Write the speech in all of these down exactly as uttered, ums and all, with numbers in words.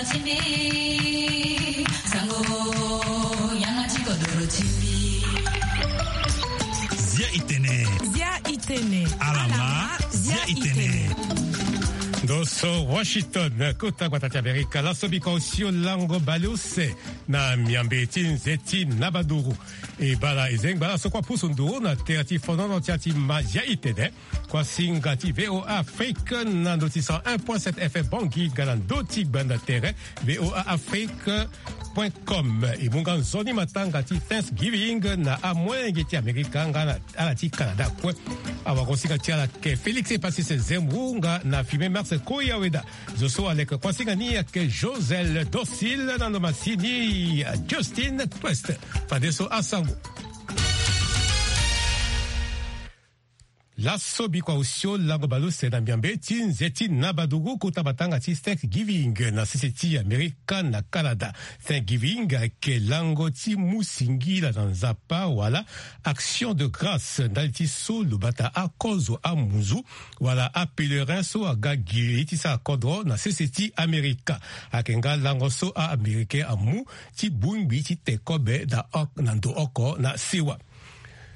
Zia itene. Zia itene. Alama. Zia itene. Ndo so Washington, kota gbata ti Amerika. Laso biko osio lango baleuse na miambe ti nze ti nabaduru. E bala e zengba laso kua pusu nduru na tere ti fonono ti ati ma Zia itene. Kuasinga ti VOA Afrique na ndo ti cent un point sept F M Bangui nga na ndo ti gbanda tere VOA Afrique point com. E mu nga nzoni matanga ti Thanksgiving na amolenge ti Amerika nga na ala ti Canada kue. Awagosinga ti ala ke Félix Epasis Zemmour nga na Firmin Marx Koyaweda. Zo so aleke kuasinga ni ake Josel Dorsil na ndo masini Justin Quest. Fadeso asango. Laso biko osio lango baleuse na miambe ti nze ti nabaduru kota matanga ti Thanksgiving na sese ti Amerika na Canada. Thanksgiving ayeke lango ti mu singila na Nzapa wala action de grâce ndali ti so lo bata akozo amunzu wala apèlerin so aga gi li ti sara kodro na sese ti Amerika. Ayeke nga lango so a-Américain amu ti bongbi ti te kobe na, na ndo oko na sewa.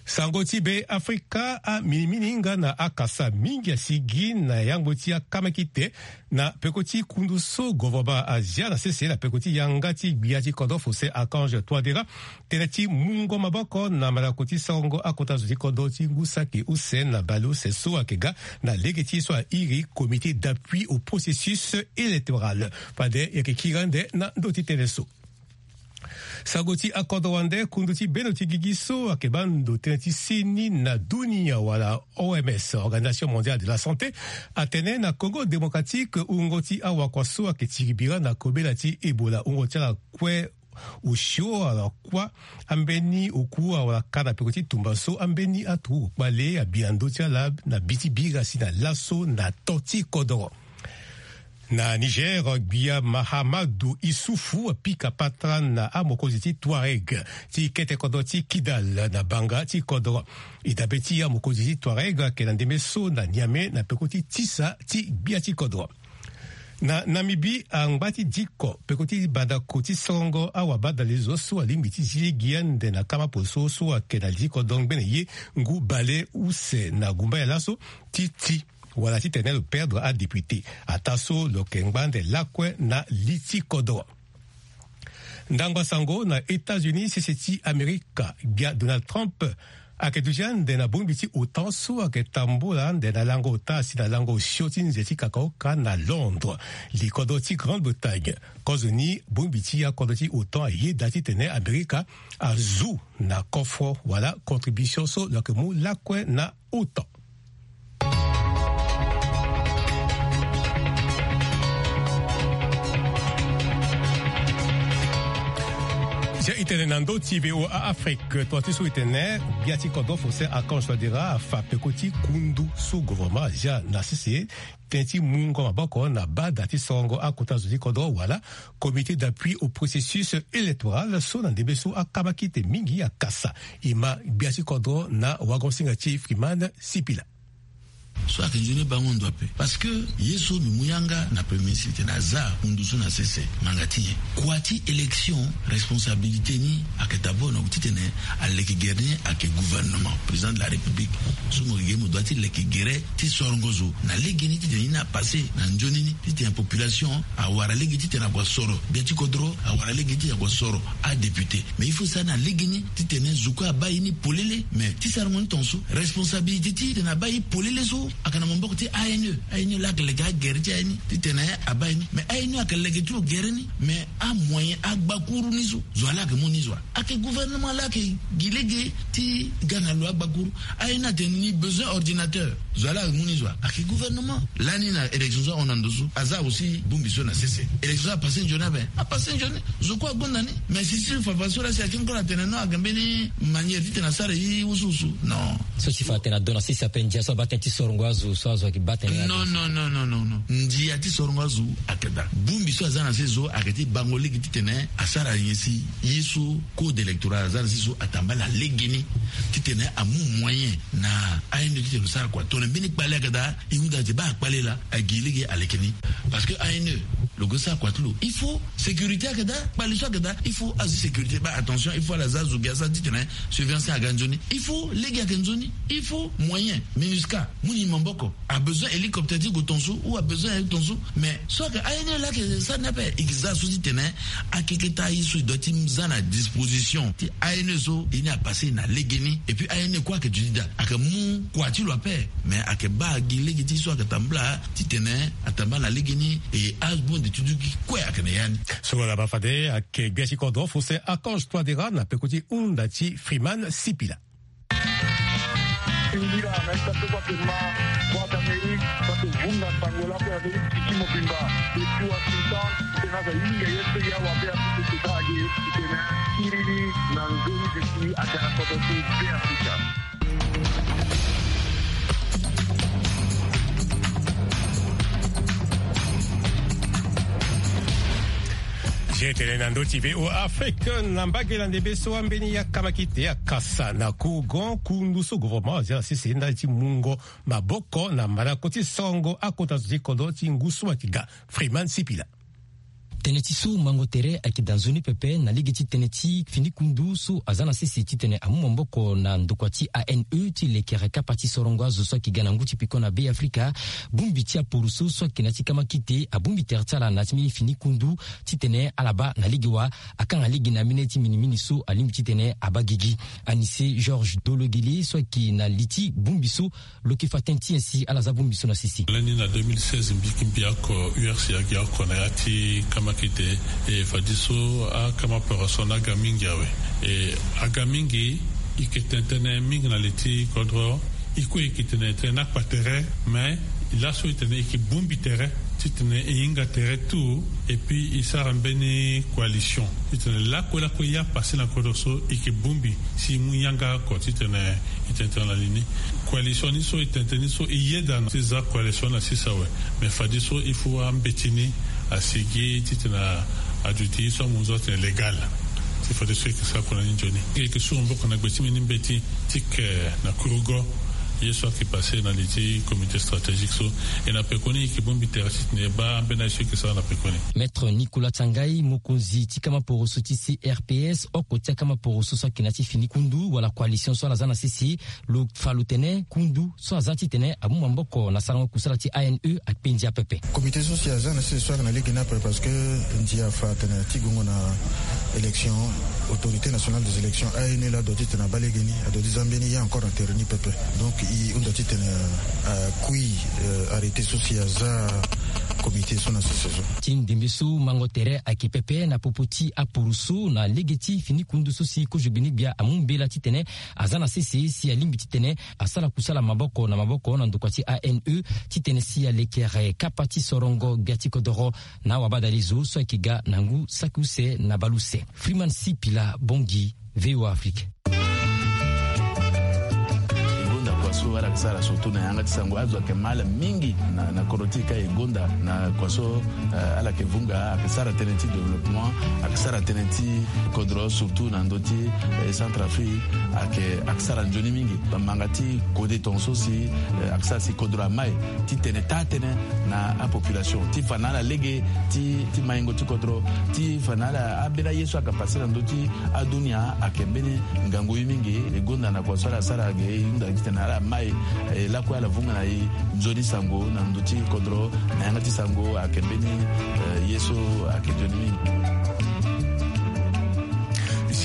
Sango ti Be Afrika, aminimini nga na akasa mingi asigi na yango ti akamakite na peko ti kundu so govornema azia na sese na peko ti yanga ti gbia ti kodro Faustin Archange Touadéra, tënë ti mungo maboko na malako ti sarango akota zo ti kodro ti ngu saki use na baleuse so ayeke ga na lege ti ye so airi Comité d'appui au processus électoral. Fade e yeke kiri ande na ndo ti tënë so. Sango ti akodro wande, kundu ti bendo ti gigi so ayeke baa ndo tënë ti seni na dunia wala O M S, Organisation Mondiale de la Santé, atene na Congo Démocratique wungo ti awakua so ayeke tiri bira na kobela ti Ebola, wungo ti ala kue osio ala kuâ ambeni oku wala ka na peko ti tumba so ambeni aturugu kpale abi na ndö ti ala na bi ti bira si na laso na to ti kodoro. Na Niger, gbia Mahamadou Issoufou apika patara na amokonzi ti Touareg ti kete kodro ti Kidal na banga ti kodro. E dabe ti amokonzi ti Touareg ayeke na ndembe so na Niamey na peko ti tisa ti gbia ti kodro. Na Namibie, angba ti diko peko ti bandako ti sorongo awabadalezo so alingbi ti zi lege ande na kama poso so ayeke na li ti kodro ngbene ye ngu bale use na gumbaya laso ti ti wala titene lo perdre adéputé. Ataa so lo yeke ngba ande lakue na li ti kodro. Ndangba sango na États-Unis, sese ti Amerika, gbia Donald Trump ayeke duti ande na bongbi ti OTAN so ayeke tambola ande na lango ota si na lango osio ti nze ti kakaoka na Londres, likodro ti Grande-Bretagne. Kozoni bongbi ti akodro ti OTAN ayeda titene Amerika azu na kofro wala contribution so lo yeke mu lakue na OTAN. Zia itene na ndö ti VOA Afrique, tonga ti so itene gbia ti kodro Faustin Archange Touadéra afa peko ti kundu so gouvernement azia na sese tënë ti mungo maboko na bada ti sorongo akota zo ti kodro wala Comité d'appui au processus électoral so na ndembe so akamakite mingi akasa. E ma gbia ti kodro na wagosinga ti Freeman Sipila. So ayeke nzoni bango ndo ape. Parce que ye so mbi mu yanga na premier ministre titene aza kundu so na sese, ngbanga ti nyen? Kua ti élection, responsabilité ni ayeke d'abord na titene aleke gere ni ayeke gouvernement, président de la République. So mo yeke mo doit ti leke gere ti sorongo zo na legeni titene ni apasse na nzoni ni, titene population awara lege titene ague asoro gbia ti kodro, awara lege titene ague asoro adéputé. Mais il faut sara na legeni titene zo kue abaa ye ni polele. Mais ti sarango ni tongaso, responsabilité ti titene abaa ye polele so ayeke na maboko ti A N E. A N E laa ayeke leke agere ti aye ni titene abaa ye ni. Mais A N E ayeke leke ti lo gere ni. Mais amoyen, agbakuru ni so, zo wa laa ayeke mu ni zo wa? Ayeke gouvernement laa ayeke gi lege ti ga na lo agbakuru. A N E atene ni besoin ordinateur. Zo wa laa ayeke mu ni zo wa? Ayeke gouvernement. Lani na élection so ahon na ndo so, aza aussi bongbi so na sese. Élection so apasse nzoni ape? Apasse nzoni. Zo kue agonda ni. Mais si, si fafa so laa si ayeke encore atene non, ayeke mbeni manière titene asara ye wusuwusu. Non. So si fa atene ado na sese ape, ndia so abaa tënë ti sorongo azo, so azo ayeke baa tënë azo. Non, non, non, non, non, non. Ndia ti sorongo azo ayeke daa. Bongbi so aza na sese so ayeke ti bango lege titene asara nyen si ye so code électoral aza na sese so atambala legeni titene amu moyen na A N E titene lo sara kua. Tongana mbeni kpale ayeke daa, e hunda ti baa akpale laa, agi lege aleke ni. Parce que Ane lo go sara kua ti lo, il faut sécurité ayeke daa. Kpale so ayeke daa, il faut azo ti sécurité baa attention, il faut ala za azo ge asara titene surveillance aga nzoni. Il faut lege ayeke nzoni, il faut moyen. Minusca mu ni maboko, abesoin hélicoptère ti go tonso ou abesoin aye tonso. Mais so ayeke ane laa ayeke sara ni ape, e ke za so titene akeketa aye so e doit ti za na disposition ti ane so e ni apasse na legeni. Et puis ane kue ayeke duti daa, ayeke mu kua ti lo ape. Mais ayeke baa gi lege ti so ayeke tambula titene atambula na legeni. E abonde ti duti kue ayeke na ya ni. Soro na bafade ayeke gbia ti kodro Faustin Archange Touadéra na peko ti hunda ti Freeman Sipila. Indira na ita so bake ma Voix d'Amérique bake vunga sango lako ya Amérique tiki mobimba. Depuis Washington, tena za yinga ye so ya wa be a tiki teta age tena iriri na nzoni de ti agara kodo ti be Afrika. Ye tene na ndö ti V O A Afrique na mbage na ndembe so ambeni ya kamakite akasa na kourgon kundu so gouvernement azia na sese ndali ti mungo maboko na mandako ti songo akota zo ti kodro ti ngu so ayeke ga. Freeman Sipila. Tënë ti so mango tere ayeke daa nzoni pepe na lege ti tënë ti fini kundu so aza na sese titene amu maboko na ndokua ti A N E ti lekere kapa ti sorongo azo so ayeke ga na ngu ti peko na Be Afrika. Bongbi ti aporoso so ayeke na ya ti kamakite abongbi tere ti ala na ya ti mbeni fini kundu titene ala baa na lege wa akanga lege na mbeni ti minimini so alingbi titene abaa gigi. Anise Georges Dologele so ayeke na li ti bongbi so lo yeke fa tënë ti nyen si ala za bongbi so na sese. Lani na deux mille seize mbi yeke mbi oko U R C agi oko na ya ti kamakite. E fadeso akama poroso ni aga mingi awe. E aga mingi. E yeke tene tënë mingi na li ti kodro. E kue e yeke tene tënë ni akpa tere, mais laso e tene e yeke bongbi tere titene e hinga tere tout. Et puis e sara mbeni coalition titene lakue lakue ye apasse na kodro so e yeke bongbi si e mu yanga oko titene e tene tënë na li ni. Coalition ni so e tene tënë ni so e yeda na ti za coalition na sese awe. Mais fadeso il faut ambeti ni asigi titene aduti ye so amu nzoni atene légal. Ti fadeso e yeke sara kua na ni nzoni. E yeke su maboko na gbe ti mbeni mbeti ti ke na kurugo ye so ayeke passe na li ti comité stratégique so. E na pekoni e yeke bongbi tere titene e baa ambeni aye so e yeke sara na pekoni. Maître Nicolas Tiangai, mokonzi ti kama poroso ti C R P S, oko ti akama poroso so ayeke na ya ti fini kundu wala coalition so ala za na sese, lo fa lo tene kundu so aza titene amu maboko na sarango kusala ti A N E akpe ndia pepe. Comité so si aza na sese so ayeke na lege ni ape parce que ndia afa atene ti gongo na élection, Autorité nationale des élections, A N E, la adoit titene abaa lege ni, adoit ti za mbeni ye encore na tere ni pepe. Donc e hunda titene akui arrêté so si aza comité so na sese so. Ti ndembe so mango tere ayeke pepe na popo ti aporoso na lege ti fini kundu so si kozo gbeni gbia amu mbela titene aza na sese si alingbi titene asara kusala maboko na maboko na ndokua ti A N E titene si alekere kapa ti sorongo gbia ti kodoro na awabadale zo so ayeke ga na ngu saki use na bale use. Freeman Sipila, Bangui, V O A Afrique. E gonda kua so ala yeke sara surtout na yanga ti sango, azo ayeke ma ala mingi na, na kodro ti e ka. E gonda na kua so, eh, ala yeke vunga, ayeke sara tënë ti développement, ayeke sara tënë ti kodro surtout na ndö ti, eh, Centrafrique, ayeke, ayeke sara nzoni mingi. Bamanga ti kode tongaso si, eh, ayeke sara si kodro amai titene taa tënë na apopulation ti fa na ala lege ti, ti maingo ti kodro, ti fa na ala ambeni aye so ayeke passe na ndö ti adunia ayeke mbeni ngangu ye mingi. E gonda na kua so ala sara ge e hunda titene ala mai, eh, lakue ala vunga na e nzoni sango na ndö ti kodro na yanga ti sango ayeke mbeni, eh, ye so ayeke nzoni mingi.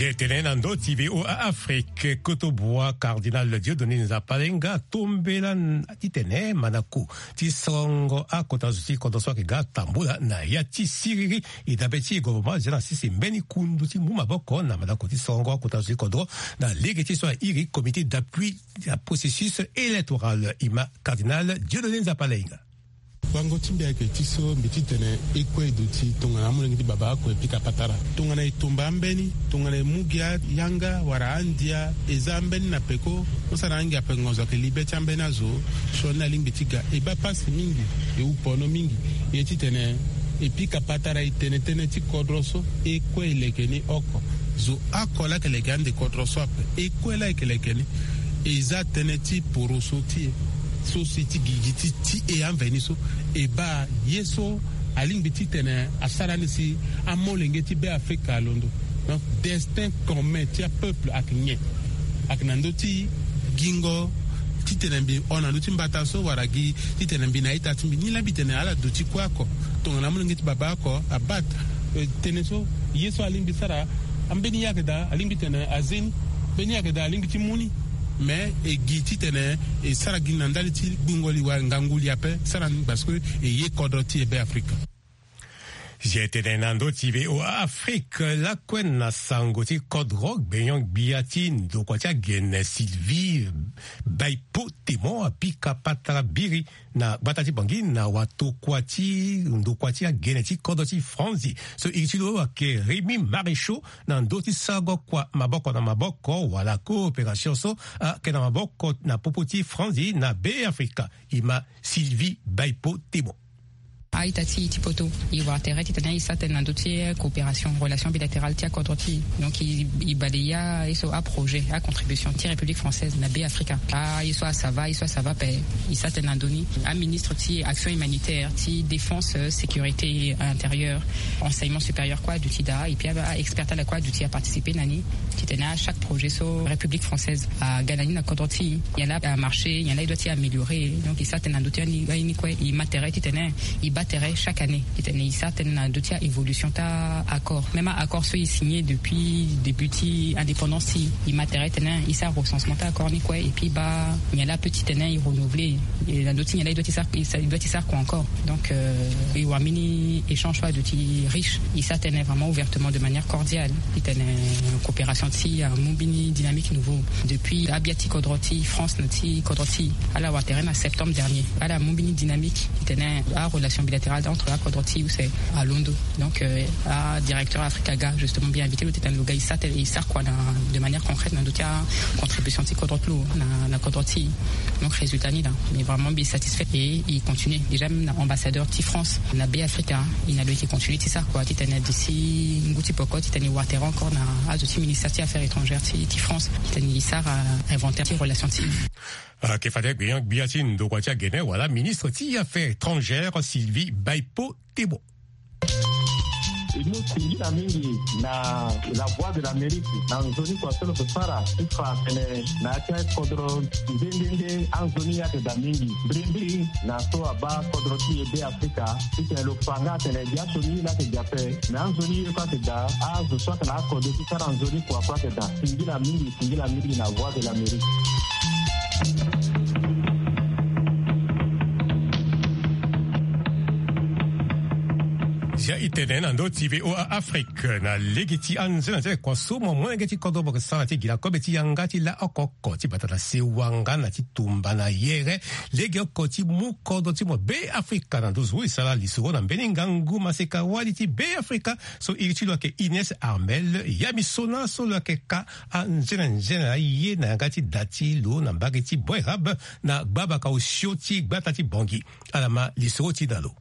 Ye tene na ndö ti V O A Afrique, koto bua Cardinal Dieudonné Nzapalenga tombela titene manako ti sorongo akota zo ti kodro so ayeke ga tambula na ya ti siriri. E dabe ti e gouvernement azia na sese mbeni kundu ti mu maboko na manako ti sorongo akota zo ti kodro na lege ti so airi comité d'appui ya processus électoral. E ma Cardinal Dieudonné Nzapalenga. Wango ti mbi ayeke ti so mbi titene e kue e duti tongana amolenge ti baba oko e pika patara. Tongana e tomba ambeni, tongana e mu gi ayanga wala andia, e za ambeni na peko, mo sara angia ape ngonzo ayeke li be ti ambeni azo. Sioni alingbi ti ga, e baa pasi mingi, e wu pono mingi. E titene e pika patara, e tene tënë ti kodro so, e kue e leke ni oko. Zo oko laa ayeke leke ande kodro so ape, e kue laa e yeke leke ni. E za tënë ti poroso ti e so si ti gigi ti, ti e amveni so. E baa ye so Alingbi titene asara ni si amolenge ti Be Afrika alondo. Donc destin commun ti apeuple ayeke nyen? Ayeke na ndö ti gingo titene mbi hon na ndö ti mbata so wala gi titene mbi na ita ti mbi. Ni laa mbi tene ala duti kue oko tongana amolenge ti baba oko abate tënë so ye so alingbi sara. Ambeni ye ayeke daa alingbi tene aze ni. Mbeni ye ayeke daa alingbi ti mu ni. Mais e gi titene e sara gi na ndali ti gbungo li wala ngangu li ape sara ni parce que e ye kodro ti e Be Afrika. Zia e tene na ndö ti V O A Afrique lakue na sango ti kodro gbenyo-gbia ti ndokua ti agene Sylvie Baipo Temon apika patara biri na gbata ti Bangui na watokua ti ndokua ti agene ti kodro ti Franzi so iri ti lo ayeke Rémy Maréchaux na ndö ti sago kua maboko na maboko wala coopération so ayeke na maboko na popo ti Franzi na Be Afrika. E ma Sylvie Baipo Temon. A-ita ti e ti poto e wara tere titene e sara tënë na ndö ti coopération, relation bilatérale ti akodro ti e. Donc e baleya ye so aprojet, acontribution ti République française na Be Afrika. Aye so asava, aye so asava ape e sara tënë na ndö ni. Aministre ti action humanitaire, ti défense, sécurité intérieure, enseignement supérieur kue aduti daa, et puis a-expert ti ala kue aduti aparticiper na ni. Titene achaque projet so République française aga na ni na kodro ti e, nyen laa amarché, nyen laa e doit ti améliorer. Donc e sara tënë na ndö ti aye ni kue. E ma tere titene e baa tere chaque année titene e sara tënë na ndö ti a-évolution ti a-accord. Même a-accord so e signé depuis début ti indépendance ti e, e ma tere titene e sara recensement ti a-accord ni kue, et puis e baa nyen laa ape titene e renouveler. E na ndö ti nyen laa e doit ti sara, e doit ti sara kua encore. Donc e wara mbeni échange so aduti riche. E sara tënë vraiment ouvertement de manière cordiale titene coopération ti e amu mbeni dynamique nouveau. Depuis abia ti kodro ti France na ti kodro ti e, ala wara tere na septembre dernier, ala mu mbeni dynamique titene arelation bilatérale entre akodro ti e use alondo. Donc adirecteur Africa aga justement mbi invité lo titene lo ga e sara tënë, e sara kua na, de manière concrète na ndö ti acontribution ti kodro ti lo na, na kodro ti e. Donc résultat ni laa, mais vraiment mbi satisfait et e continue. Déjà même na ambassadeur ti France na Be Afrika, e na lo e yeke continue ti sara kua titene d'ici ngu ti peko titene e wara tere encore na azo ti ministère ti affaires étrangères ti, ti France titene e sara inventaire ti relation ti e. Ayeke fade gbenyo-gbia ti ndokua ti agene wala ministre ti affaires étrangères Sylvie Baipo Temon. E mu singila mingi na La Voix de l'Amérique na nzoni kua so lo yeke sara ti fa atene na ya ti akodro nde nde nde anzoni ayeke daa mingi. Mbirimbiri na so abaa kodro ti e Be Afrika titene lo fa nga atene biaso ni laa ayeke daa ape. Me anzoni ye kue ayeke daa, azo so ayeke na akodro ti sara nzoni kua kue ayeke daa. Singila mingi, singila mingi na Voix de l'Amérique. Zia e tene na ndö ti V O A Afrique na lege ti anzenanzena kua so mo molenge ti kodro mo yeke sara ti gi na kobe ti yanga ti la oko oko ti bata na sewa nga na ti tumba na yere. Lege oko ti mu kodro ti mo Be Afrika na ndö zo e sara lisoro na mbeni ngangu maseka wali ti Be Afrika so iri ti lo ayeke Ines Armel. Ya misona so lo yeke ka anzenanzena aye na yanga ti da ti lo na mbage ti Boerab na gbabaka osio ti gbata ti Bangui. Ala ma lisoro ti da lo.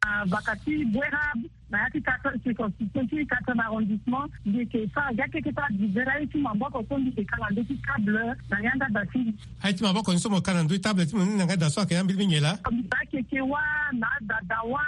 Ah, baka ti Boerab, na ya ti quatre, circonscription ti quatrième arrondissement, mbi yeke fa ga keke ti adivers aye ti maboko so mbi yeke ka na ndö ti table na yanga da ti mbi. Aye ti maboko ni so mo ka na ndö ti table ti mo ni na yanga da so ayeke ambeni nyen laa? Mbi za keke wâ, na adada wâ,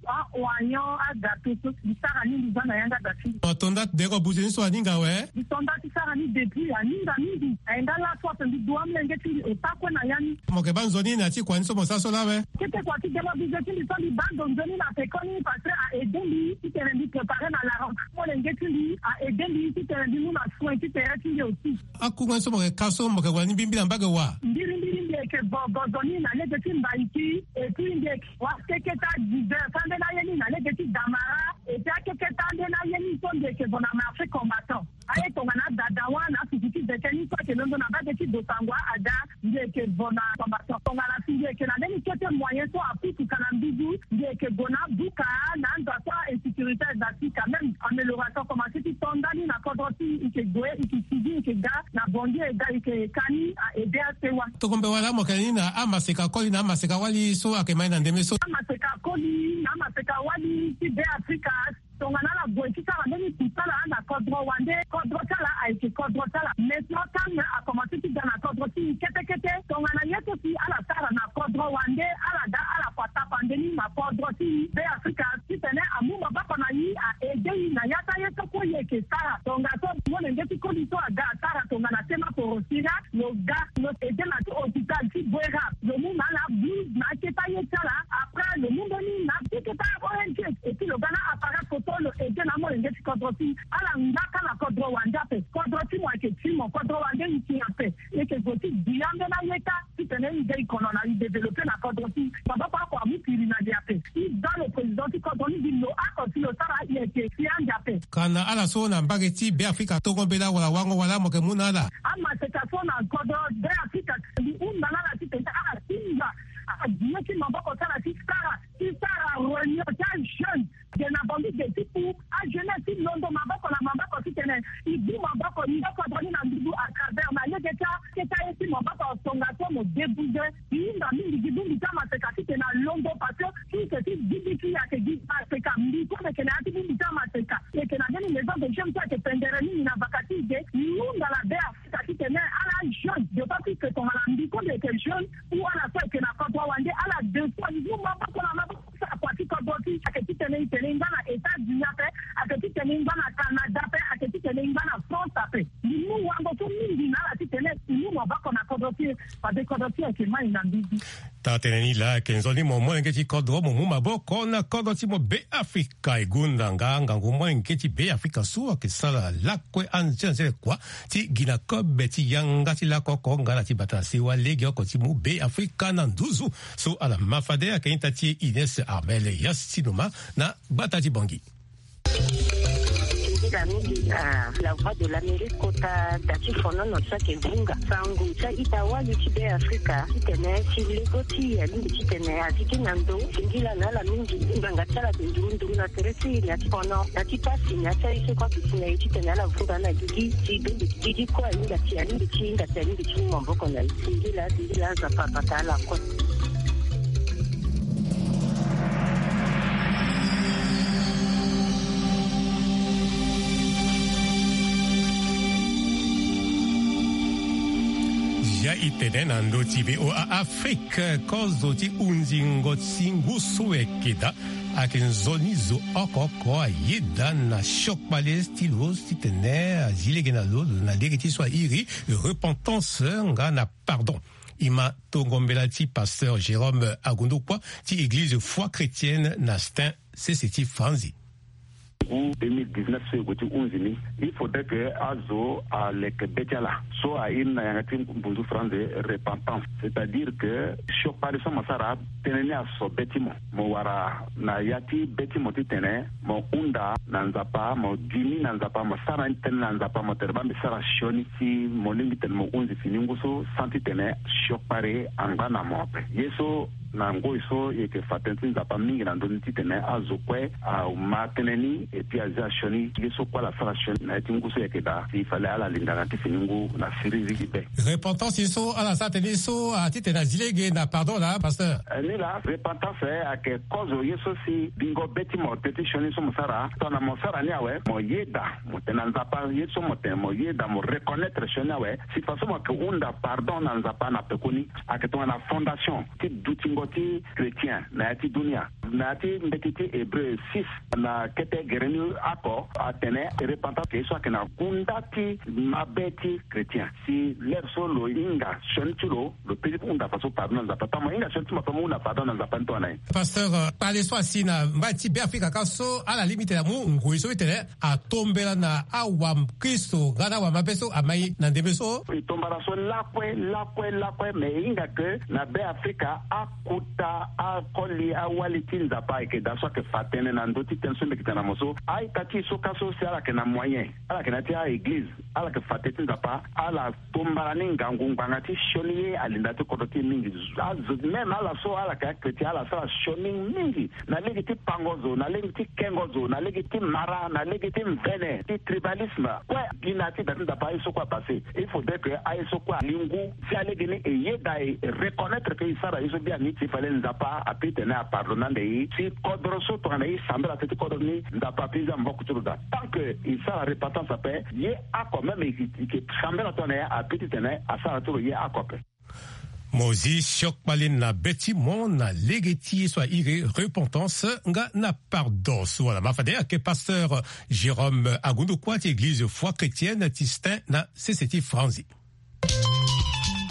a-oignon, agato so mbi sara ni mbi za na yanga da ti mbi. Mo to nda ti dere buze ni so aninga awe? Mbi to nda ti sara ni depuis aninga mingi. Aye nga laso ape mbi du amolenge ti mbi ota kue na ya ni. Mo yeke baa nzoni na ya ti kua ni so mo sara so laa awe? Kete kua ti dere buze ti mbi so mbi baa ndo nzoni na pekoni parce que a aidé mbi titene mbi préparer na la rentrée. Molenge ti mbi a aidé mbi titene mbi mu na soin ti tere ti mbi aussi. Akunga ni so mo yeke ka so mo yeke wara ni mbirimbiri na mbage wa? Mbirimbiri mbi yeke vo gozo ni na lege ti Mbaïki, et puis mbi yeke wara keke ti adivers ambeni aye ni na lege ti Damara, et puis akeke ti ambeni aye ni so mbi yeke vo na marché combattant. Aye tongana adada wâ na afuku ti veke ni so ayeke londo na mbage ti Bossangoa ada, mbi yeke vo na combattant. Tongana si mbi yeke na mbeni kete moyen so apusu ka na mbizu, mbi yeke gue na abuka na ando so a-insécurité eza ti quand même amélioration commencé ti to ndani na kodro ti e, e yeke gue, e yeke sigi, e yeke ga na Bangui, e ga e yeke ka ni a aidé asewa. Tongombe wala mo yeke ni na amaseka koli na amaseka wali so ayeke ma e na ndembe so? Amaseka koli na amaseka wali ti Be Afrika. Tongana ala gue ti sara mbeni kusala na kodro wande, kodro ti ala ayeke kodro ti ala. Maintenant calme akomanse ti ga na kodro ti e kete kete. Tongana ye so si ala sara na kodro wande, ala ga ala kua tapande ni na kodro ti e. Be Afrika Ti koli so aga asara tongana tema porosira, lo ga lo ede na ti hôpital ti Bouérab, lo mu na ala blouse na aketa ye ti ala. Après lo mu mbeni na ti keta O N G, et puis lo ga na appareil photo, lo ede na amolenge ti kodro ti ala ngba ka na kodro wande ape. Kodro ti mo ayeke ti mo, kodro wande e yeke nyen ape? E yeke zo ti duti ambeni ayeka titene e de e kono na e développer na kodro ti e. Maboko oko amu piri na li ape. E za lo président ti kodro ni gi lo oko si lo sara e yeke si ande ape. Kana ala so na mbage ti Beafrika tongo mbela wala wango wala mo yeke mu na ala. Amaseka so na kodro Beafrika, li hunda na ala titene ala tinga aye ti maboko ti ala ti sara, ti sara réunion ti ajeune. Ge na Bangui ge ti ku ajeunesse ti londo maboko na maboko titene e bu maboko, e yeke kodro ni na nduzu à travers na lege ti aketa ye ti maboko, tongaso mo débouze. E hinga mingi gi bongbi ti amaseka titene alondo, parce que ti yeke ti gigi ti e ayeke gi maseka. Mbi so mbi yeke na ya ti bongbi ti amaseka, e yeke na mbeni maison de jeunes so ayeke pendere mingi na vaka ti e ge. E hunda na Beafrika titene ala jeune, d'autant plus que tongana mbi so mbi yeke jeune ou ala so ayeke na kodro wande, ala deux fois e mu maboko na maboko ti sara kua ti kodro ti e. Ayeke titene e tene e ngba na États-Unis ape, ayeke titene e ngba na Canada ape, ayeke titene e ngba na France ape. Mbi mu wango so mingi na ala titene e mu maboko na kodro ti e, fade kodro ti e ayeke mai na mbizi. Taa tënë ni laa ayeke nzoni mo molenge ti kodro mo mu maboko na kodro ti mo Beafrika. E gonda nga ngangu molenge ti Beafrika so ayeke sara lakue anzene anzene kua ti gi na kobe ti yanga ti lako oko nga na ti bata na sewa legeoko ti mu Beafrika na nduzu. So ala ma fade ayeke ita ti Ines Armel Yastinoma na gbata ti Bangui. Ndila mingi na La Voix de l'Amérique kota da ti fonono ti ayeke vunga sango ti a-ita wali ti Beafrika titene ti lego ti e alingbi titene a zi gi na ndo. Ndila na ala mingi, ngbanga ti ala ayeke nduru nduru na tere ti e na ya ti fono, na ti pasi, na ya ti aye so kue aduti na e titene ala vunga na gigi ti bembe. Gigi kue ahinga ti, alingbi ti hinga ti, alingbi ti mu maboko na e. Singila, singila, Nzapa abata ala kue. Ya e tene na ndö ti V O A Afrique, kozo ti hunzingo ti ngu so ayeke daa ayeke nzoni zo oko oko ayeda na siokpale ti lo titene azi lege na lo na lege ti so a iri repentance nga na pardon. E ma tongo mbela ti pasteur Jérôme Agundukua ti église Foi Chrétienne na Stains, sese ti Franzi. Ngu deux mille dix-neuf so e gue ti hunzi ni, il faudrait que azo aleke be ti ala so a iri na yanga ti mbunzu franzi repentance. C'est-à-dire que siokpale so mo sara, tënë ni aso be ti mo. Mo wara na ya ti be ti mo titene mo hunda na Nzapa, mo dimi na Nzapa, mo sara ni tënë na Nzapa, mo tene baa mbi sara sioni si mo lingbi titene mo hunzi fini ngu so sans titene siokpale angba na mo ape. Ye so na ngoi so e yeke fa tënë ti Nzapa mingi na ndö ni titene azo kue ama tënë ni, et puis azi asioni ye so kue ala sara sioni na ya ti ngu so e yeke daa, si fale ala linda na ti fini ngu na siriri ti be. Repentance ye so ala sara tënë ye so, a titene azi lege na pardon laa, pasteur? Eh, ni laa, repentance, eh, ayeke kozo ye so si bingo be ti mo tënë ti sioni so mo sara, tongana mo sara ni awe, mo yeda, mo tene na Nzapa ye so mo tene, mo yeda, mo reconnaître sioni awe, si faso mo yeke hunda pardon na Nzapa na pekoni. Ayeke tongana fondation ti dutingo ti chrétien na ya ti dunia. Na ya ti mbeti ti Hébreu six, na kete gere ni oko, atene repentance ayeke ye so ayeke na kunda ti mabe ti chrétien. Si lere so lo hinga sioni ti lo, lo peut ti hunda faso pardon na Nzapa. Tongana mo hinga sioni ti mo ape, mo hunda pardon na Nzapa ni tongana nyen? Pasteur, euh, kpale so asi na mbai ti Beafrika kâ so ala lingbi titene amu ngoi so ti tene atombela na awakristo nga na awamabe so amai na ndembe so. E tombara so lakue, lakue, lakue, me e hinga ke na Beafrika, akota, akoli, awali ti Nzapa ayeke daa so ayeke fa tënë na ndö ti tënë so mbi yeke tene na mo so. A-ita ti e so kâ so si ala yeke na moyen, ala yeke na ya ti a-eglize, ala yeke fa tënë ti Nzapa, ala tombara ni ngangu ngbanga ti sioni ye alinda ti kodro ti e mingi. Azo, même ala so ala yeke achrétien, ala sara sioni mingi na lege ti pango zo, na lege ti kengo zo, na lege ti mara, na lege ti mvene, ti tribalisme. Kue gi na ya ti da ti Nzapa aye so kue apase. Il faudrait que aye so kue ali ngu si alege ni e yeda e reconnaître que e sara ye so biani, si fallait Nzapa a peut tene apardonne ande e. Si kodro so tongana e sambela tënë ti kodro ni, Nzapa a peut zia maboko ti lo daa. Tant que e sara repentance ape, ye oko même e, e, e sambela tongana e, a peut ti tene asara ti lo ye oko ape. Mo zi siokpali na be ti mo na lege ti ye so airi repentance nga na pardon so wala ma fade ayeke pasteur Jérôme Agundukua ti église foi chrétienne ti Stains na sese ti Franzi.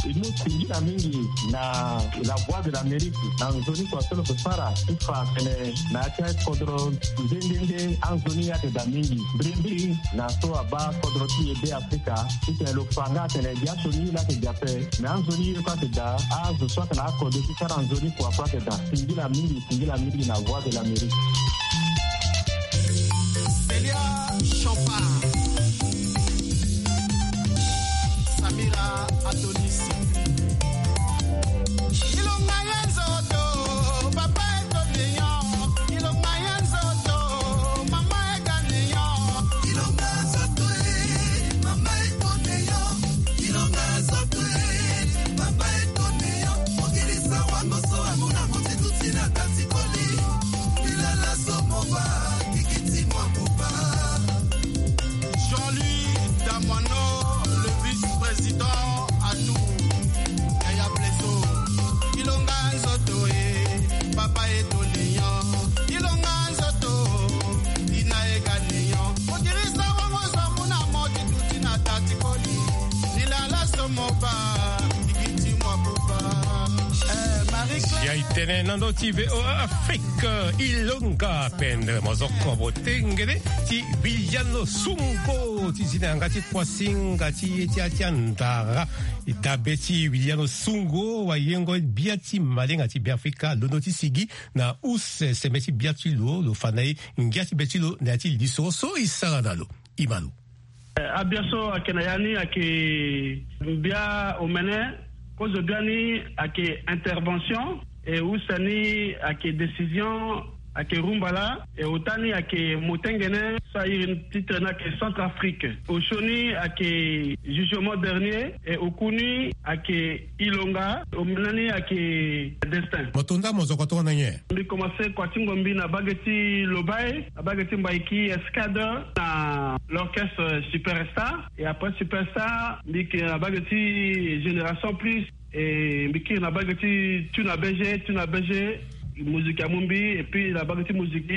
E mu singila mingi na la voix de l'Amérique na nzoni kua so lo ke sara ti fa atene na ya ti akodro nde nde nde anzoni ye ake daa mingi mbirimbiri na so abaa kodro ti e be Afrika. Titene lo fa nga atene biaso ni ye laa ake daa ape. Me anzoni ye kue ake daa. Azo so ake na akode ti sara nzoni kua kue ake daa. Singila mingi, singila mingi na voix de l'Amérique. Célia Champard, Samira Adonis. Ilonga ya nzoto, papa eto leon. Ilonga ya nzoto, mama ega leon. Ilonga nzoto e, mama eto leon. Ilonga nzoto e, mama eto leon. Mokilisa wango so amona motitu ti na kati koli. Ilala so moba, kikiti mwa moba. Jean-Louis Damoineau, le vice-président à tout. Yaya Blesso, ilonga nzoto e, papa eto leon. Ilonga nzoto, ina ega leon. Motirisa wango so amona motitu ti na tati koli. Ilala so moba, kikiti mwa moba. Eh, Marie-Claire. Ya e tene na ndö ti V O A Afrique, ilonga pendre mozoko botengele ti Viliano Sungo ti zi na yanga ti kuasinga ti ye ti atia ndara. E dabe ti Viliano Sungo wayengo bia ti malenga ti Beafrika londo ti sigi na use sembe ti bia ti lo, lo fa na e ngia ti be ti lo na ya ti lisoro so e sara na lo. Imano. Eh, abia so ake na ya ni ake mbia omene. Kozo bia ni ake intervention, e use ni ake décision, ake rumbala, e ota ni ake motengene so airi titre ni ake Centrafrique. Osio ni ake jugement dernier, e oku ni ake ilonga, omene ni ake destin. Mo to nda mo zoko tongana nyen? Mbi commencé kua ti ngombi na bage ti Lobaye, na bage ti Mbaiki Escadre, na l'orchestre Superstar. Et après Superstar, mbi ke na bage ti Génération Plus. Et mbi kiri na bage ti Tuna B G, Tuna B G, musique amu mbi, et puis na bage ti musique,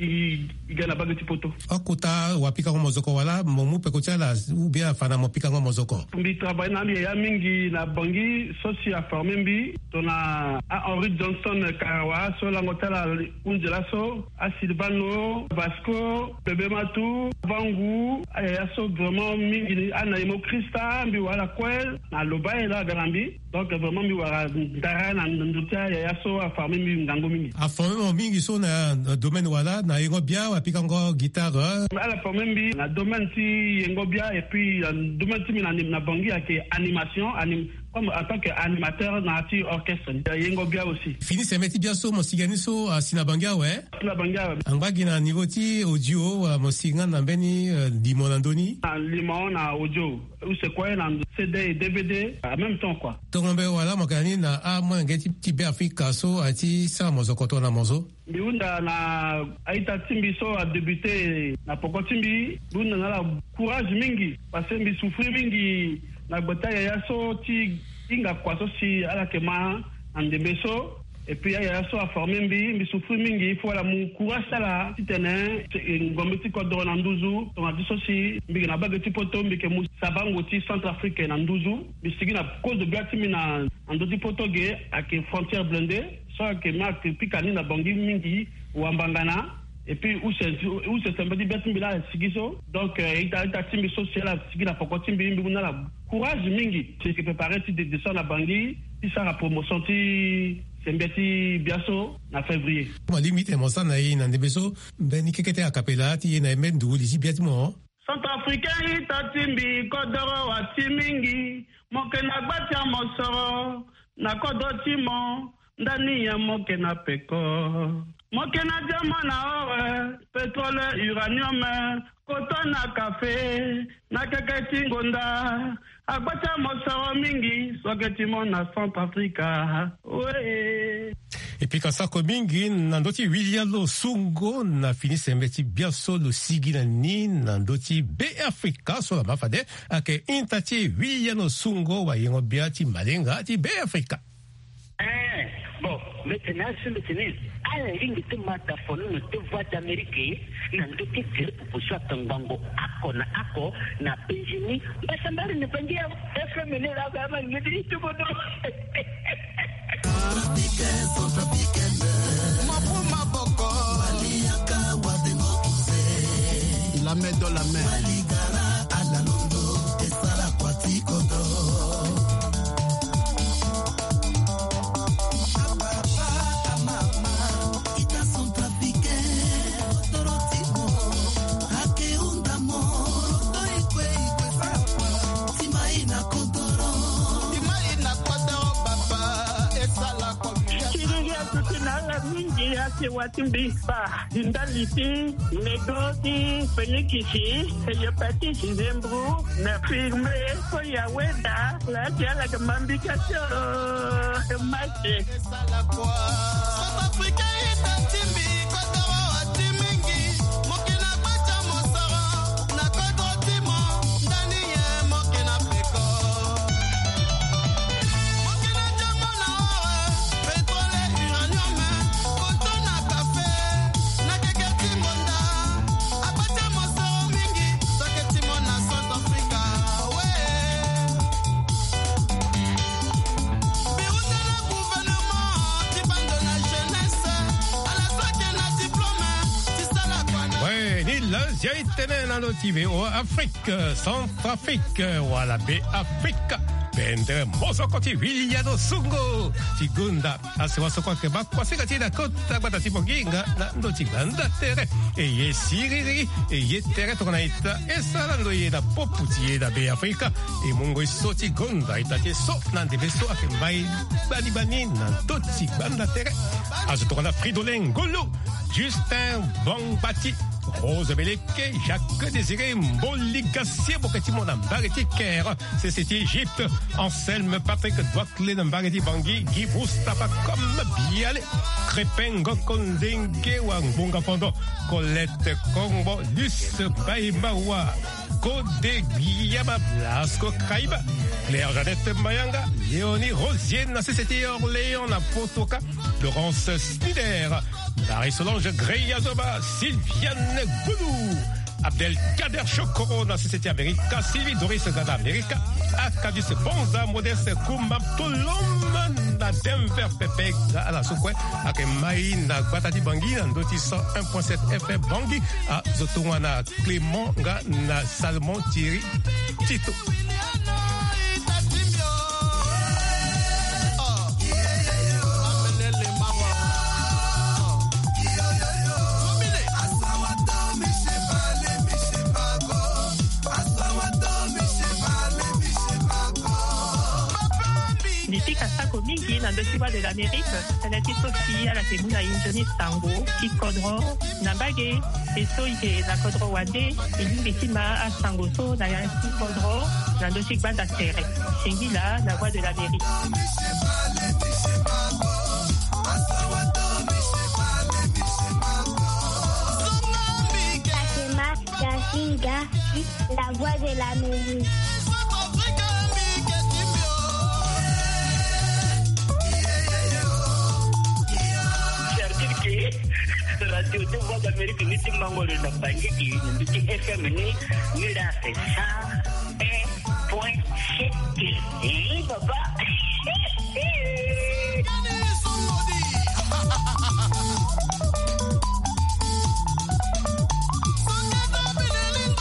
i, i ga na bage ti poto. Akota wapikango mozoko wala mo mu peko ti ala, ou bien afa na mo pikango mozoko? Mbi travaille na mbi yaya mingi na Bangui, so si aforme mbi, tongana a Henry Johnson Karawa, so lango ti ala hunzi laso, a Silvano, Vasco, Bébé Matou, Vangu, ayaya so vraiment mingi ni, a Naimo Christa, mbi wara ala kue, na Lobaye laa aga na mbi. Donc vraiment mbi wara ndara na ndo ti ayaya so aforme mbi ngangu mingi. Aforme mo mingi so na, na domaine wala na yengo bia, wapikango guitare? Ala forme mbi na domaine ti yengo bia, et puis na domaine ti mbi na, na Bangui ake animation, anim-, comme en tant que animateur na ti orchestre ni, yengo bia aussi. Fini sembe ti bia so mo sigi ni so asi na Bangui awe? Asi na Bangui awe. Angba gi na niveau ti audio, wala mo sigi nga na mbeni, euh, limo na ndö ni? Na limo na audio. Use kue na C D et D V D en même temps, quoi. Tongo mbe wala mo yeke na ni na amolenge ti, ti Beafrika so aye ti sara mo zo koto na mo zo? Mbi hunda na a-ita ti mbi so adébuté na poko ti mbi. Mbi hunda na ala courage mingi, parce que mbi souffrir mingi na gbe ti ayaya so ti hinga kua so si ala yeke ma na ndembe so. Et puis ayaya so aforme mbi, mbi souffrir mingi. Il faut ala mu courage ti ala titene, eh, ngombe ti kodoro na nduzu. Tongana ti so si mbi yeke na bage ti poto, mbi yeke mu sabango ti Centrafrique na nduzu. Mbi sigi na kozo gbia ti mbi na, na ndö ti poto ge, ayeke frontière blindée. So ayeke ma ayeke pika ni na Bangui mingi, wambangana. Et puis use, use sembe ti bia ti mbi laa asigi so. Donc, euh, ita, ita ti mbi so si ala sigi na poko ti mbi, mbi mu na ala courage mingi. Si yeke préparé ti de-, descendre na Bangui ti sara promotion ti sembe ti bia so na février. Mo lingbi tene mo sara na e na ndembe so mbeni keke ti a cappella ti e na e mbeni ndugu li ti bia ti mo. Centrafricain ita ti mbi, kodoro wa ti mingi, mo yeke na gba ti amosoro, na kodro ti mo, ndani nyen mo yeke na peko? Mo ke na diamant na or, pétrole, uranium, koto na kafe, na keke ti ngonda. Agba ti amosoro mingi so ake ti mo na Centrafrica. Wee. E pika sako mingi na ndö ti William Losungo na fini sembe ti biaso lo sigi na ni na ndö ti Be Afrika so la ma fade. Ake inta ti William Losungo wayengo bia ti malenga ti Be Afrika. Eh, bon, mete na asu mete ni. Ala lingi ti ma ta fono na te Voix d'Amérique na ndö ti tere pupu so ake ngbongo ako na ako na Benjini. Mbasambari ni bangi ya F M ni la ba ma lingi ti tubono. Centrafricain, centrafricaine. Maboko, maboko. Waliaka, wadengo kuse. La main dans la main. Waligara, ala londo, esala kwa ti kodro. Siriri atuti na ala mingi ake wa ti mbi fa. Ndali ti nego ti fenikisi, hepatite, nzembru, na firme, so ya weda, la ti ala ke mambika tio, mate. Ouais, ni lanzia e tene na lo ti V O A Afrique, Centrafrique, wala Be Afrika. Pendere mozoko ti William Losungo ti gonda. Asi wasoko ake ba kuasinga ti na kota gbata ti Bongi nga na ndö ti gbanda tere. E ye siriri, e ye tere tongana ita. E sara ndo ye na popu ti ye na Be Afrika. E mungo e so ti gonda ita ti e so na ndembe so ake mbai gbani gbani na ndö ti gbanda tere. Azo tongana Fridolin Ngolo, Justin Bangbati, Rose Beleke, Jacques Désiré Mboli Gassier, boke ti mo na mbage ti Caire, sese ti Égypte, Anselme Patrick Douaklet na mbage ti Bangui, Guy Moustapha Kom Biale, Crépin Ngoko Ndenge wa Ngbonga Fondo, Colette Kongbo, Luce Baïmawa, Codé Guillama, Blasco Kaiba, Claire Jeannette Mayanga, Léonie Rosier na sese ti Orléans na Potoka, Laurence Snider, Marie-Solange Greyazoba, Sylviane Goulou, Abdelkader Chokoro na sese ti Amerika, Sylvie Doris Gada Amerika, Akadis Bonza, Modeste Kumba, Tolom na Denver, Pepe ga ala so kue ake mai na gbata ti Bangui na ndö ti cent un point sept F M Bangui. Azo tongana Clément nga na Salomon Thierry Tito. Mbi pika sako mingi na ndö ti Voix de l'Amérique, tënë ti so si ala yeke mu na e nzoni sango ti kodro na mbage. E so e yeke na kodro wande, e lingbi ti ma asango so na ya ti kodro na ndö ti gbanda tere. Singila na Voix de l'Amérique. Ake ma Dasinga, la Voix de l'Amérique. Cercle ke radio ti Voix d'Amérique ni ti mango lo na Bangui, ni ti F M ni, ni la fait ça. Point C T. Eh, papa.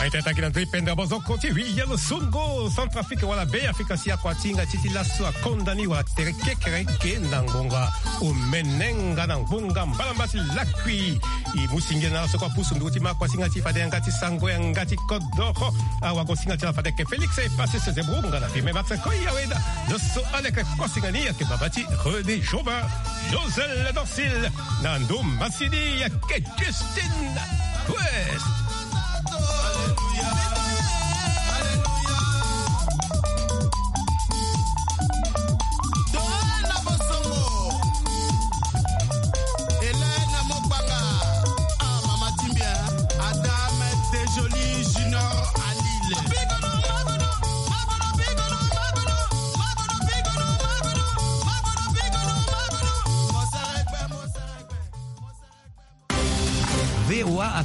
Aita taki na ndö ti pendere mozoko ti William Losungo, Centrafrique wala Be Afrika si akua ti hinga ti ti laso akonda ni wala tere kekereke na ngonga omene nga na ngonga mbalamba ti lakui. I mu singia na so kua pusu ndugu ti ma kuasinga ti fade yanga ti sango yanga ti kodoro. Awago singa ti na fade ayeke Félix e pase sese brunga na fime max koi aweda. Zo so ala yeke kuasinga ni ayeke baba ti René Jobin, Josel Dorsil, na ndo masini ayeke Justine West.